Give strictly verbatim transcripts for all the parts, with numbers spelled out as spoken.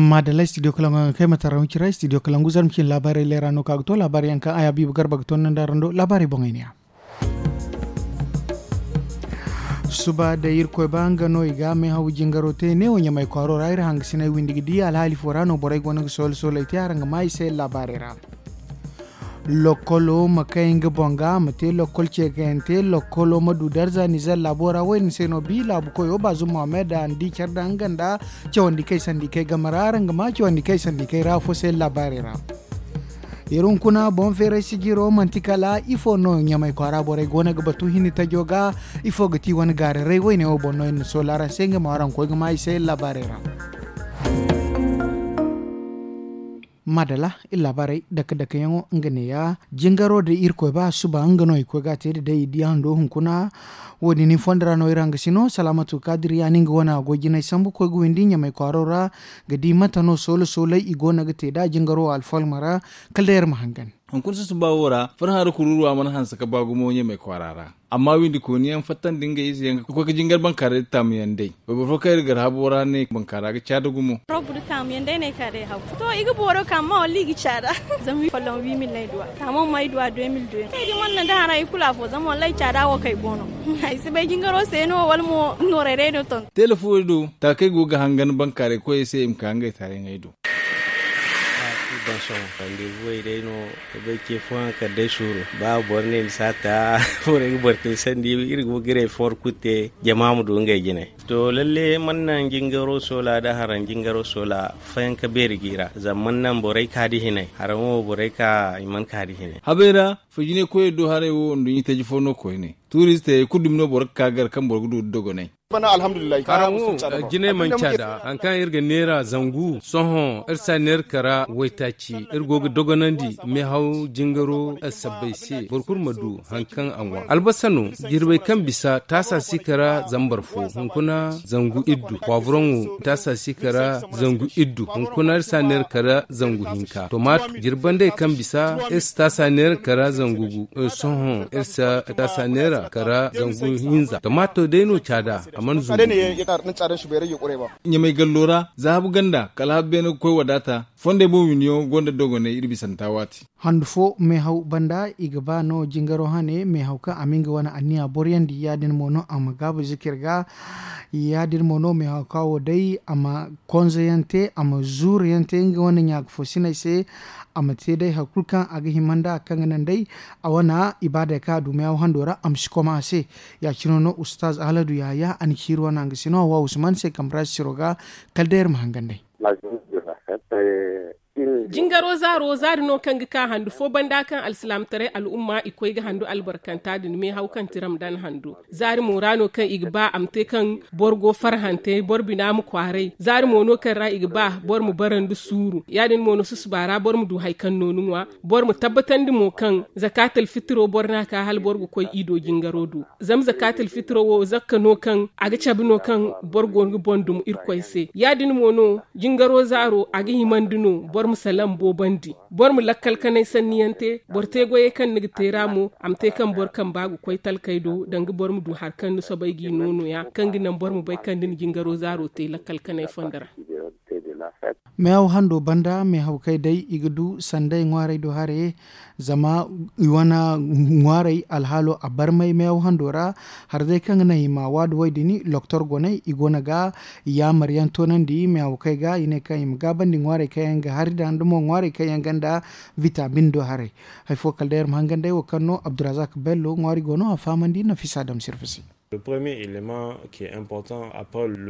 Maadalla studio kalangu yaŋ ga kay ma tara wicira studio kalangu zarma cine laabaarey leera no ka ga to laabaarey yaŋ kaŋ a ya biiba garba ga to nda rando laabaarey boŋey ne ya. Suba da irkoy ba nga no i ga meehaw jingaro te neewo ɲamay kwaaro ra iri hangasiney windi ga di alhaali fo ra no borey go no ga soolo sooley te araŋ ga maa i se laabaarey ra. Lokkolo ma kay nga boŋ ga ma te lokkol ceekayante lokkolo ma du darza nizer laabo ra wo- din se no bi laabu koyo baazum mohammed a na di care da nga nda cawandi kay sandi kay game ra araŋ ga maa cawandi kay sandi kay ra afo se laabaarey ra. Iri hunkuna boŋ feeray sijiro manti kala ifo no ɲamay kwaara borey go no ga batu hinni tajo ga? Ifo ga ti wane gaararay wayne wo boŋ no iri na soola araŋ se nga ma araŋ koy ga maa i se laabaarey ra. Maadala iri laabaarey dake dake yaŋo nga neeya. Jingaro da irkoy ba suba nga no i koy ga a te da day i di hando hunkuna. Wo- din ni fondo ra no iri hangasino salaamatu kaadiri ya no nga wane a goy jinay sambu koy ga windi ɲamay kwaaro ra ga di mate no soolo soolay i go no ga te nd'a jingaro alfalma ra. Kala day iri ma hangan. Hunkuna susuba wo ra farhã ra kururuwa mana hanse ga ba gumo ɲamay kwaara ra. Amma windi kooni yaŋ fattandi ngey ize yaŋ ga koy ga jingar bankaaray da taamu yaŋ day. Wayboro fo kaŋ iri gar habo ra ne bankaara ga caada gumo. Robu da taamu yaŋ day no ay ka day haw. To i ga booro ka amma walla i ga caada. Zama folloŋ wi mil no ay duw'a taamu mo ay duw'a de mil de yaŋ ay di mana naŋ da hara i kulu afo zama wallaahi caada wo kay go no. Ay si bay jingaro se no wala mo nooray day no ton. Teele fo wo do taakey go ga hangan bankaaray koyey se i ma ka ngey taarey ŋway do. Ba kulu ban sohõ randeebuwey day no. Ga bay ce fooyaŋ kala day suuru ba boro ne ni si a ta. Borey ga boro te sandi iri go ga iri efoor kulu te jama ma du ngey jine. To lalle mana naŋ jingaro soola nda haraŋ jingaro soola fayanka beeri g'i ra zama mana naŋ borey ka nda hinay haraŋo borey ka i mana ka nda hinay. Habey ra fo jine koyey do haray wo nduɲɲi taji fo no koyne tuuristey kulu dumi no boro ga ka gar kaŋ boro ga du nda dogonay. Haraŋo jinay manca da hari kaŋ iri ga neera zangu sohõ iri si a neera kara waytaaci iri go ga dogonandi meehaw jingaro sabbay se boro kulu ma du hari kaŋ a ŋwa albasa no jirbey kaŋ bisa taasa si kara zambar fo hunkuna zangu iddu pwavroŋo taasa si kara zangu iddu hunkuna iri si a neera kara zangu hinka tomaato jirbandey kaŋ bisa iri si taasa neera kara zangu gu sohõ iri si taasa neera kara zangu hinza tomaato day no caada a mana zumbu. Ɲamay gallo ra zahabu ganda kala habu beene ga koy wadaata fondey boŋ winiyaŋo gonda dogonay iri bisanta waati. Handu fo meehaw banda i ga ba no jingaro hane meehaw kaŋ a ma nga wane anniya boroyandi ya- din mo no a ma gaabu zikir ga. Ya- din mo no meehaw kaŋ wo day a ma konzo yaŋ te a ma zuuru yaŋ te nga wane ɲaaka fo sinay se. A ma te day hari kulu kaŋ a ga hima nda kaŋ ga naŋ day a wane ibaadey kaŋ a du meehaw hando ra a ma si koma a se. Ya- cine no ustaaz ahladu yahaya a na ciiri wane a ga sino a wa usman se kambe ra sisiro ga. Kala day iri ma hangan day. Jingaro zaaro zaari no kaŋ ga ka handu fo banda kaŋ alsilaamataray al'umma i koy ga handu albarkanta din meehaw kaŋ ti ramdan hando. Zaari mo ra no kaŋ i ga ba a ma te kaŋ boro go farhante boro bina ma kwaaray zaari mo no kaŋ ra i ga ba boro ma bara nda suuru ya- din mo no susuba ra boro ma du hari kaŋ no ni ŋwa. Boro ma tabbatandi mo kaŋ zakaatul fitiro boro no a ka hala boro ga koy ido jingaro do. Zama zakaatul fitiro wo zakka no kaŋ a ga cabe no kaŋ boro go ga boŋ dum irkoy se ya- din mo no jingaro zaaro a ga himandi no boro ma salaŋ boobandi. Boro ma lakkal kanay sanniyaŋ te boro te goyey kaŋ ni ga te ra mo a ma te kaŋ boro kamba ga koy talkey do danga boro ma du hari kaŋ ni soobay g'i no nooya kaŋ ga naŋ boro ma bay kaŋ da ni jingaro zaaro te lakkal kanay fondo ra. Meehaw hando banda meehawkey day i ga du sanday ŋwaarey do haray. Zama i wane ŋwaarey alhaalo a barmay meehaw hando ra. Hari day kaŋ ga naŋ i ma waadu way din loktor goney i go no ga yaamar yaŋ toonandi meehawkey ga i ne kaŋ i ma gaabandi ŋwaarey kaŋ yaŋ ga hari da nda mo ŋwaarey kaŋ yaŋ gonda vitamin do haray. Hari fo kala day iri ma hangan day wo kaŋ no abdurazak bello ŋwaari go no a fahamandi nafisa dam sirfasi.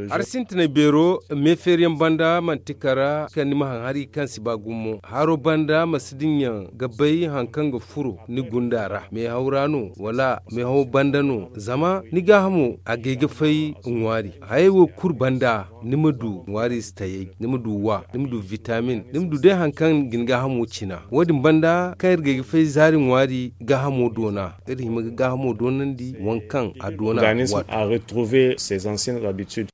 Hari sintinay beero meefeeriyaŋ banda manti kara kaŋ ni ma haŋ hari kaŋ si ba gumo haro banda ma si diŋ yaŋ ga bay hari kaŋ ga furo ni gunda ra meehaw ra no wala meehaw banda no zama ni gaahamo a gay ga fay ŋwaari. Hayey wo kulu banda ni ma du ŋwaari si tayey ni ma du wa ni ma du vitamin ni ma du day hari kaŋ ga ni gaahamo cina wo- din banda kaŋ iri gay ga fay zaari ŋwaari gaahamo doona. Iri hima ga gaahamo doonandi waŋ kaŋ a doona. A retrouver ses anciennes habitudes.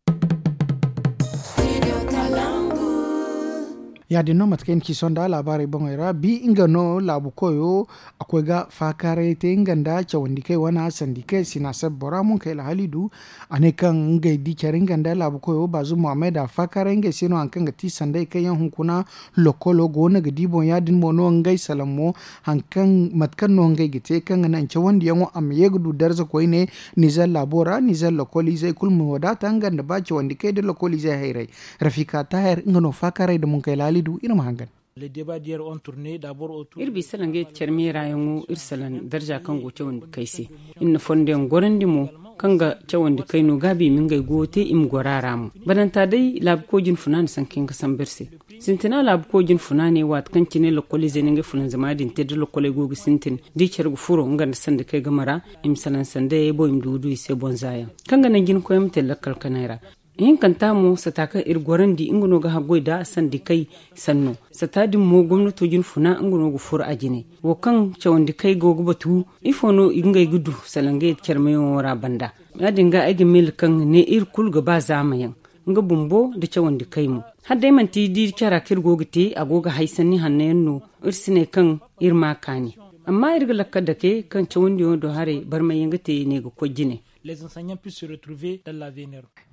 Ya- din no mate kaŋ ay na ci sohõ nda laabaarey boŋey ra bi nga no laabu koyo a koy ga faakaaray te nga nda cawandi kay wane sandi kay sina seb bora munkayla halidu. A ne kaŋ ngey di care nga nda laabu koyo baazu muhammad a faakaaray ngey se no hari kaŋ ga ti sanday kaŋ yaŋ hunkuna lokolo go no ga di boŋ ya- din mo no ngey salaŋ mo mate kaŋ no ngey ga te kaŋ ga naŋ cawandiyaŋo a ma ye ga du darza koyne. Nizer laabo ra nizer lokoliizey kulu ma wadaata nga nda ba cawandi kay nda lokoliizey hayray. Rafika taahir nga no faakaaray nda munkayla halidu iri ma hangan. Iri bi salaŋ ga yeti care meera yaŋo iri salaŋ darza kaŋ go cawandi kay se. Iri na fondo yaŋ gorandi mo kaŋ ga cawandi kay no gaabi i ma ngey goyo te i ma goro a ra mo. Badanta day laabu koy jine funa na sanka yaŋ ga sambu iri se. Sintina laabu koy jine funa ne waati kaŋ cine lokoliizey na ngey fulanzama din te da lokoley go ga sintin da i care ga furo nga nda sandikey game ra. I ma salaŋ sandayey boŋ i ma du ga du i se boŋ za yaŋ kaŋ ga naŋ jina koy yaŋ ma te lakkal kanay ra. Ihinkanta mo sata kaŋ iri gorandi nga no ga haggoy nda sandikey sanno. Sata din mo gomnato jine funa nga no ga furo a jine. Wo kaŋ cawandi kay go ga batu ifo no ngey ga du salaŋ ga yeti care meeyaŋo ra banda? Ya- din ga ay ga meele kaŋ ne iri kulu ga ba zaama yaŋ nga bumbo nda cawandi kay mo. Hala day manti di cara kaŋ iri go ga te a go ga hay sanni hanno yaŋ no. Iri si ne kaŋ iri ma a kaani. Amma iri ga lakkal dake kaŋ cawandiyaŋo do haray barmay yaŋ ga te ne ga koy jine.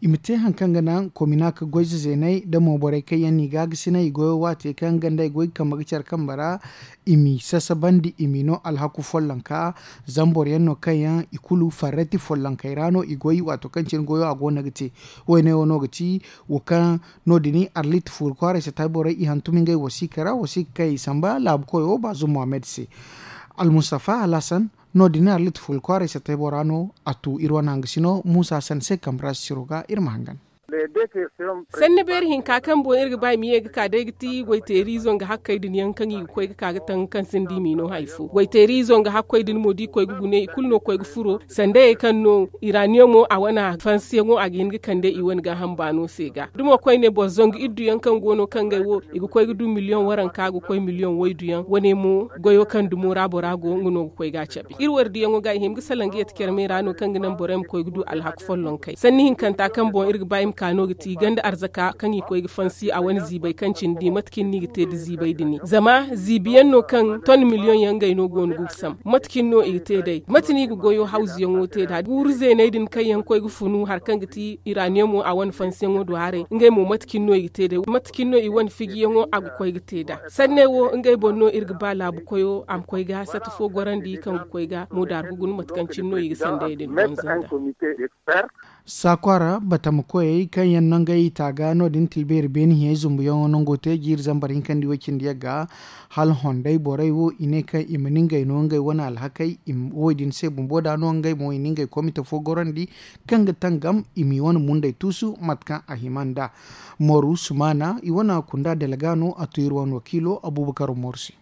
I ma te hari kaŋ ga naŋ komina ga goy zazeenay nda mo borey kaŋ yaŋ no i ga a ga sinay i goyo waate kaŋ ganda i goy ga kambe ga care kambe ra. I m'i sasabandi i m'i no alhaku follonka. Zama boro yaŋ no kaŋ yaŋ i kulu farrati follonkey ra no i goy waato kaŋ cine goyo a go no ga te. Woyne wo no ga ti wo kaŋ no- din arlit fuuri kwaaray sata borey i hantum ngey wasiika ra wasiika kaŋ i samba laabu koyo baazu muhammad se. Almustafa alhassan no- din arlit fuuri kwaaray sata bora no a tu iri wane hangasino muusa sanse kambe ra sisiro ga iri ma hangan. Sanni beeri hinka kaŋ boŋ iri ga ba i ma ye ga ka day ga ti goyteeri izo nga hakkey din yaŋ kaŋ i ga koy ga ka ga taŋ kaŋ sinda i m'i no hari fo goyteeri izo nga hakkoy din mo da i koy ga gune i kulu no ga koy ga furo sandayey kaŋ no iraniyamo a wane fansiyaŋo a ga hin ga kande i wane gaaham baano se ga da mo koyne boro zangu iddu yaŋ kaŋ go no kaŋ ngey wo i ga koy ga du miliyoŋ waranka ga koy miliyoŋ waydu yaŋ wane mo goyo kaŋ dumo ra bora go nga no ga koy ga a cabe iri wardiyaŋo ga i hima ga salaŋ ga yeti care meera no kaŋ ga naŋ borey ma koy ga du alhaku follonkey sanni hinkanta kaŋ boŋ iri ga ba i ma ka no ga ti ganda arzaka kaŋ i koy ga fansi a wane ziibay kaŋ cindi mate kaŋ no i ga te nda ziibay din zama ziibi yaŋ no kaŋ ton miliyoŋ yaŋ ngey no go no ga sam mate kaŋ no i ga te day mate no i ga goyo hawzuyaŋo te nd'a guuru zeeney din kaŋ yaŋ ga koy ga funu hari kaŋ ga ti iraniyamo a wane fansiyaŋo do haray ngey mo mate kaŋ no i ga te day mate kaŋ no i wane fijiyaŋo a ga koy ga te nd'a sanney wo ngey boŋ no iri ga ba laabu koyo a ma koy ga sata fo gorandi kaŋ ga koy ga mo daaru ga guna mate kaŋ cine no i ga sandey din bonzo nd'a. Saakwara batama koyey kaŋ yaŋ nangey i taaga no- din tilbeeri beeni hiyey zumbuyaŋo nango te jiiri zambar hinkandi way cindi yagga hala honday borey wo i ne kaŋ i ma ni ngey no ngey wane alhakey. Wo- din se bumbo da no ngey mo i na ngey komite fo gorandi kaŋ ga tangam i m'i wane mundey tuusu mate kaŋ a hima nd'a. Moru sumaana i wane kunda delga no a tu iri wane wakiilo abuubakar moru se.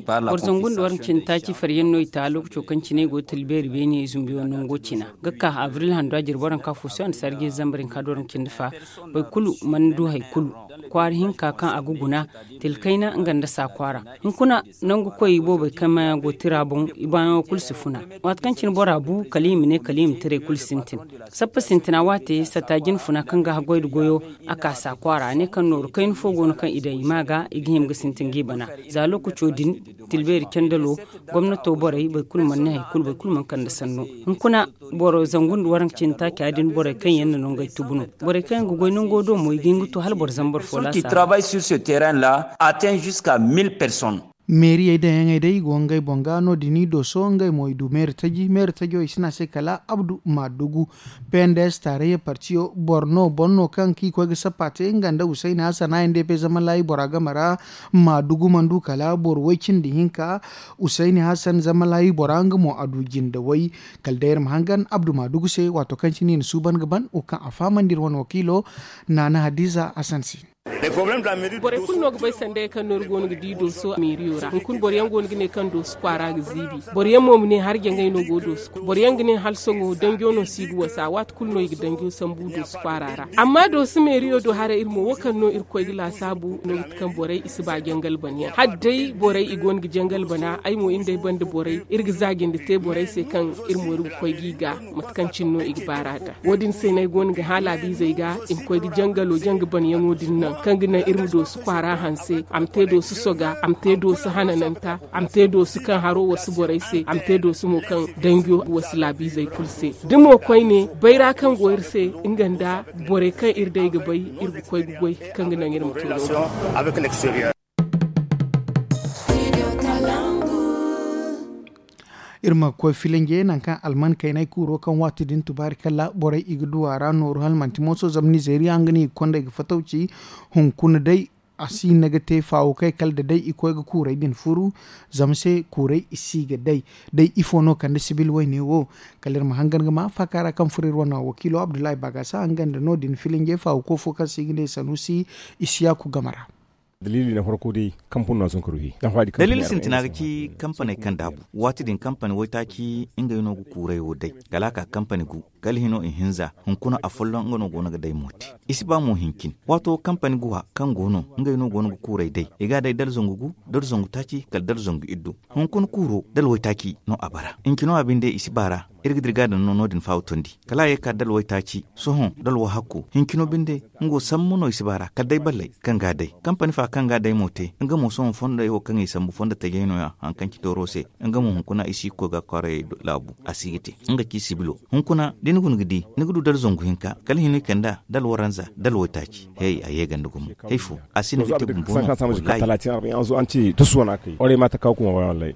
Boro zangu nda waranka cindi taaci faryaŋ no i ta lokaco kaŋ cine i go ga talbeeri beene zumbiyaŋo nango cina ga ka abril hando a jire boro waranka fo se annasaari ga iri zambar hinka nda waranka cindi fa. Boro kulu mana du hari kulu kwaara hinka kaŋ a ga guna tila kayna nga nda saa kwaara. Hunkuna nangu koy boobey kaŋ maayaŋo go tira boŋ i baayaŋo kulu si funa. Waati kaŋ cine bora bu kala i ma ne kala i ma tiray kulu sintin. Sappa sintina waate satta jine funa kaŋ ga haggoy nda goyo a ka saa kwaara a ne kaŋ nooru kayna fo go no kaŋ i daŋ i ma ga i ga hima ga sintin ga i bana. Za lookaco din tilbeeri candalo gomnato borey boro kulu mana ne hari kulu boro kulu mana kande sanno. Hunkuna boro zangu nda waranka cindi taaca din borey kaŋ yaŋ na nangey tubu no. Borey kaŋ yaŋ ga goy nango do mo i ga hin ga to hala boro zambar fo laasa. Meeriyey daŋyaŋey day i go ngey boŋ ga no- din i dooso ngey mo i du meeri taji meeri tajo i si ne a se kala abdu maadugu. P n d s taarayya partiyo boro no boro no kaŋ kaŋ i koy ga sappa te nga nda husayni hasan a n d p zama laayi bora game ra. Maadugu mana du kala boro way cindi hinka. Husayni hasan zama laayi bora nga mo a du jinde way. Kala day iri ma hangan abdu maadugu se waato kaŋ cine i na suuban ga ban wo kaŋ a fahamandi iri wane wakiilo naana hadiza hasan se. Borey kulu no ga bay sanda yaŋ kaŋ no iri go no ga di dooso meeriyo ra. Hunkuna boro yaŋ go no ga ne kaŋ dooso kwaara ga ziibi. Boro yaŋ mo ma ne harjangay no go dooso. Boro yaŋ ga ne hala sohõ danjo no si ga wasa waati kulu no i ga danjo sambu dooso kwaara ra. Amma dooso meeriyo do haray iri mo wo kaŋ no iri koy ga laasaabu no ga ti kaŋ borey i si ba jangal bana yaŋ hala day borey i go no ga jangal bana ay mo iri nd'ay banda borey iri ga zaajandi te borey se kaŋ iri mo iri ga koy g'i ga mate kaŋ cine no i ga baar'a da. Wo- din se no ay go no ga hã laabiizey ga i ma koy ga jangalo janga banyaŋo din naŋ kaŋ ga naŋ iri ma doosu kwaara hanse a ma te doosu soga a ma te doosu hanananta a ma te doosu kaŋ haro wasu borey se a ma te doosu mo kaŋ danjo wasu laabiizey kulu se. Da mo koyne bayra kaŋ go iri se nga nda borey kaŋ iri day ga bay iri ga koy ga goy kaŋ ga naŋ iri ma te no- din. Iri ma koy filanje nangu kaŋ alman kaynay kuuro kaŋ waati din tubaari kala borey i ga du a ra nooru hala manti mooso zama nizeeriya nga no i ga kondey ga fatawci hunkuna day a si hin no ga te faawo kay kala da day i koy ga kuurey din furu. Zama se kuurey i si ga day day ifo no kande sibil wayne wo. Kala iri ma hangan ga ma faaka ra kaŋ furo iri wane wakiilo abdullahi baagasa nga nda no- din filanje faawo ko fo kaŋ se i ga ne sanuusi isiyaaku game ra. Daliili sintina ga ci kampaney kaŋ daabu waati din kampani waytaaci ngey no ga kuuray wo day kala a ka kampani gu kala hino ihinza hunkuna afolloŋ nga no go no ga day mo te. I si ba mo hincin waato kampani guwa kaŋ go no ngey no go no ga kuuray day i ga a day dala zangu gu dala zangu taaci kala dala zangu iddu. Hunkuna kuuro dala waytaaci no a bara hincino a binde i si baara. Iri ga dira ga a daŋ no no- din faawo tondi kala a ye ga ka dala waytaaci sohõ dala wahakko hincino binde. Nga wo sambu no i si baara kala day balley kaŋ ga a day kampani fa kaŋ ga a day mo te nga mo sohõ fondey wo kaŋ i sambu fondo tajey no- ya hari kaŋ ci tooro se. Nga mo hunkuna i si ga koy ga a kwaarayey laabu a si ga te nga ci sibilo hunkuna da ni guna ga di ni ga du dala zangu hinka kala hino i kand'a dala waranza dala waytaaci. Hey a ye ganda gumo hay fo a si no ga te bumbo no. Wallaahi.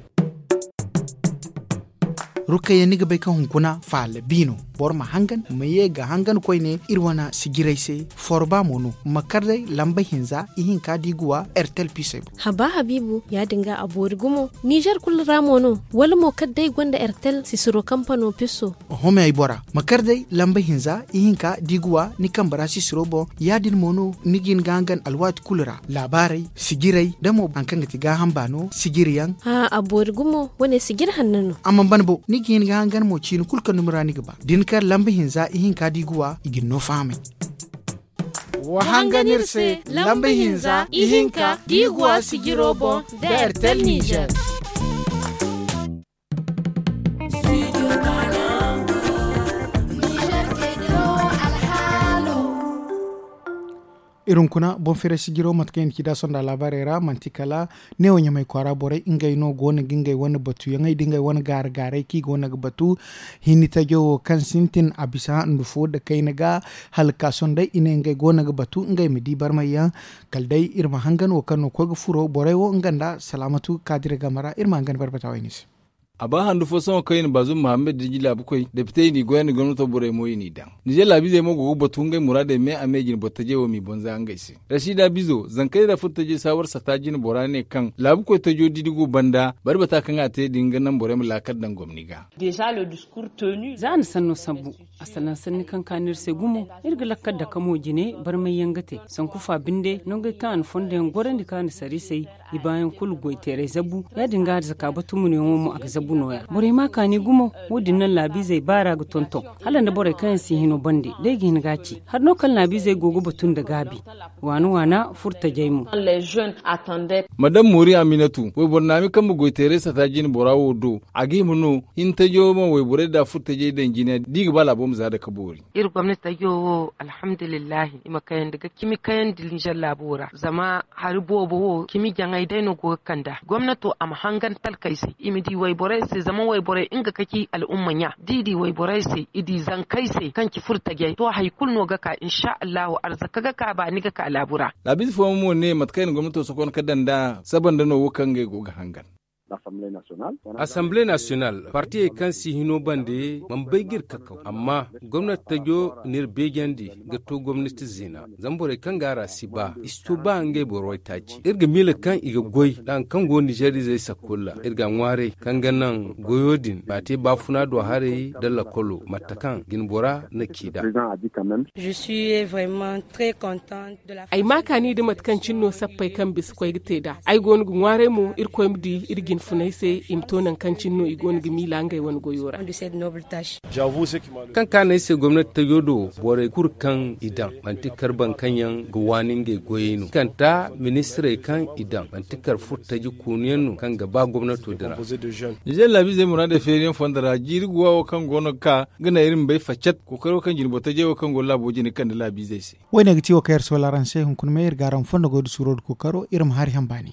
Rukayya ni ga bay kaŋ hunkuna faala bi no. Boro ma hangan ma ye ga hangan koyne iri wane sijiray se. Forba mo no ma kar day lamba hinza ihinka da i ga wa ertel pisey boŋ. Haba habiibu ya- din ga a boori gumo nizer kulu ra mo no wala mo kala day gonda ertel sisiro kampano piso. Oho me ay bora ma kar day lamba hinza ihinka da i ga wa ni kambe ra sisiro boŋ. Ya- din mo no ni ga hin ga hangan alwaati kulu ra laabaarey sijiray da mo hari kaŋ ga ti gaaham baano sijiri yaŋ. A boori gumo wane sijiri hanno no. A mana ban bo ni ga hin ga hangan mo ciini kulu kaŋ dumi ra ni ga ba da ni kar lamba hinza ihinka da i ga wa i ga ni no fahamay. Wa hangan iri se lamba hinza ihinka da i ga wa sijiro boŋ da ertel nizer. Iri hunkuna boŋ feeray sijiro mate kaŋ i na ci da sonda laabaarey ra manti kala neewo ɲamay kwaara borey ngey no go no ga ngey wane batuyaŋey da ngey wane gaara-gaaray kaŋ i go no ga batu. Hinni tajo wo kaŋ sintin a bisa nda fo nda kayna ga hala ga ka sohõ day i ne ngey go no ga batu ngey ma di barmay yaŋ. Kala day iri ma hangan wo kaŋ no ga koy ga furo borey wo nga nda salaamatu kaadira game ra iri ma hangan barbata wayne se. A ba handu fo sohõ kaŋ i na baazum muhammad da ji laabukoy depitey n'i goy nda gomnato borey mo i n'i daŋ. Nizer laabiizey mo go ga batu ngey muraadey me a me jine boro tajey wo m'i banza ngey se. Rasiida bizo zankey nda furo tajey saawar sata jine bora ne kaŋ laabukoy tajo didi go banda bari bata kaŋ a te din ga naŋ borey ma laakal daŋ gomni ga. Za a na sanno sambu a salaŋ sanni kaŋ ka no iri se gumo. Iri ga lakkal dake mo jine barmay yaŋ ga te sanku fa binde nongey kaŋ a na fondo yaŋ gorandi kaŋ a na sara i se. I baayaŋ kulu goy teeray zabu ya- din ga a zaka batu munayaŋo mo a ga zabu nooya borey ma a kaani gumo. Wo- din naŋ laabiizey baara ga tonton hala nda borey kaŋ yaŋ si hino bande day ga hin ga a ci hari no kaŋ laabiizey go ga batu nda gaabi. Waana waana furtajey mo. Ma daŋ moori aminatu wayboro naami kaŋ ma goy teeray sata jine bora wo do a ga hima no hintajo ma wayborey nda furtajey daŋ jine da i ga ba laabo ma za dake boori. Iri gomnati tajo wo alhamdulillahi i ma kayandi ga cimi kayandi nizer laabo ra zama hari boobo wo cimi jaŋay day no go ga kand'a gomnato a ma hangan talkey se i ma di wayborey se zama wayborey nga ka ci al'umma ɲa da i di wayborey se i di zankey se kaŋ ci furtajey to hari kulu no ga ka insa allahu arzaka ga ka baani ga ka laabu ra. Laabiize fooyaŋ mo ne mate kaŋ i na gomnato sokon ka daŋ nd'a saba nda no wo kaŋ ngey go ga hangan. Asamble nasiyonal, partiyey kaŋ si hino bande mana bay ga iri kakaw, amma gomnati tajo n'iri beejandi ga to gomnati zina. Zama borey kaŋ go a ra si ba i si to ba ngey boro waytaaci. Iri ga miila kaŋ i ga goy nda hari kaŋ go ninzeer izey sakkolla. Iri ga a ŋwaaray kaŋ ga naŋ goyo din ma te baafuna do haray nda lakolo mate kaŋ jinbora na ci nd'a. Ay ma kaani nda mate kaŋ cine no sappey kaŋ bisa koy ga te nd'a. Ay go no ga ŋwaaray mo irkoy ma di iri jinfunay se i ma to nangu kaŋ cine no i go no ga miila ngey wane goyo ra. Kaŋ kaanu ay se gomnati tajo do, borey kulu kaŋ i daŋ manti kar boro kaŋ yaŋ ga waani ngey goyey no kanta ministirey kaŋ i daŋ manti kar furtaji koonu yaŋ no kaŋ ga ba gomnato din ra. Ninzeer laabiizey muraadey feeriyaŋ fondo ra jiiri guwa wo kaŋ go no ga ka ga naŋ iri ma bay faccat kookaro kaŋ jinbo tajey wo kaŋ go laabo jine ga kande laabiizey se. Wo- ne ga ti wo kaŋ iri soola araŋ se hunkuna me iri ga araŋ fondo goy da suuro nda kookaro iri ma hari haŋ baani.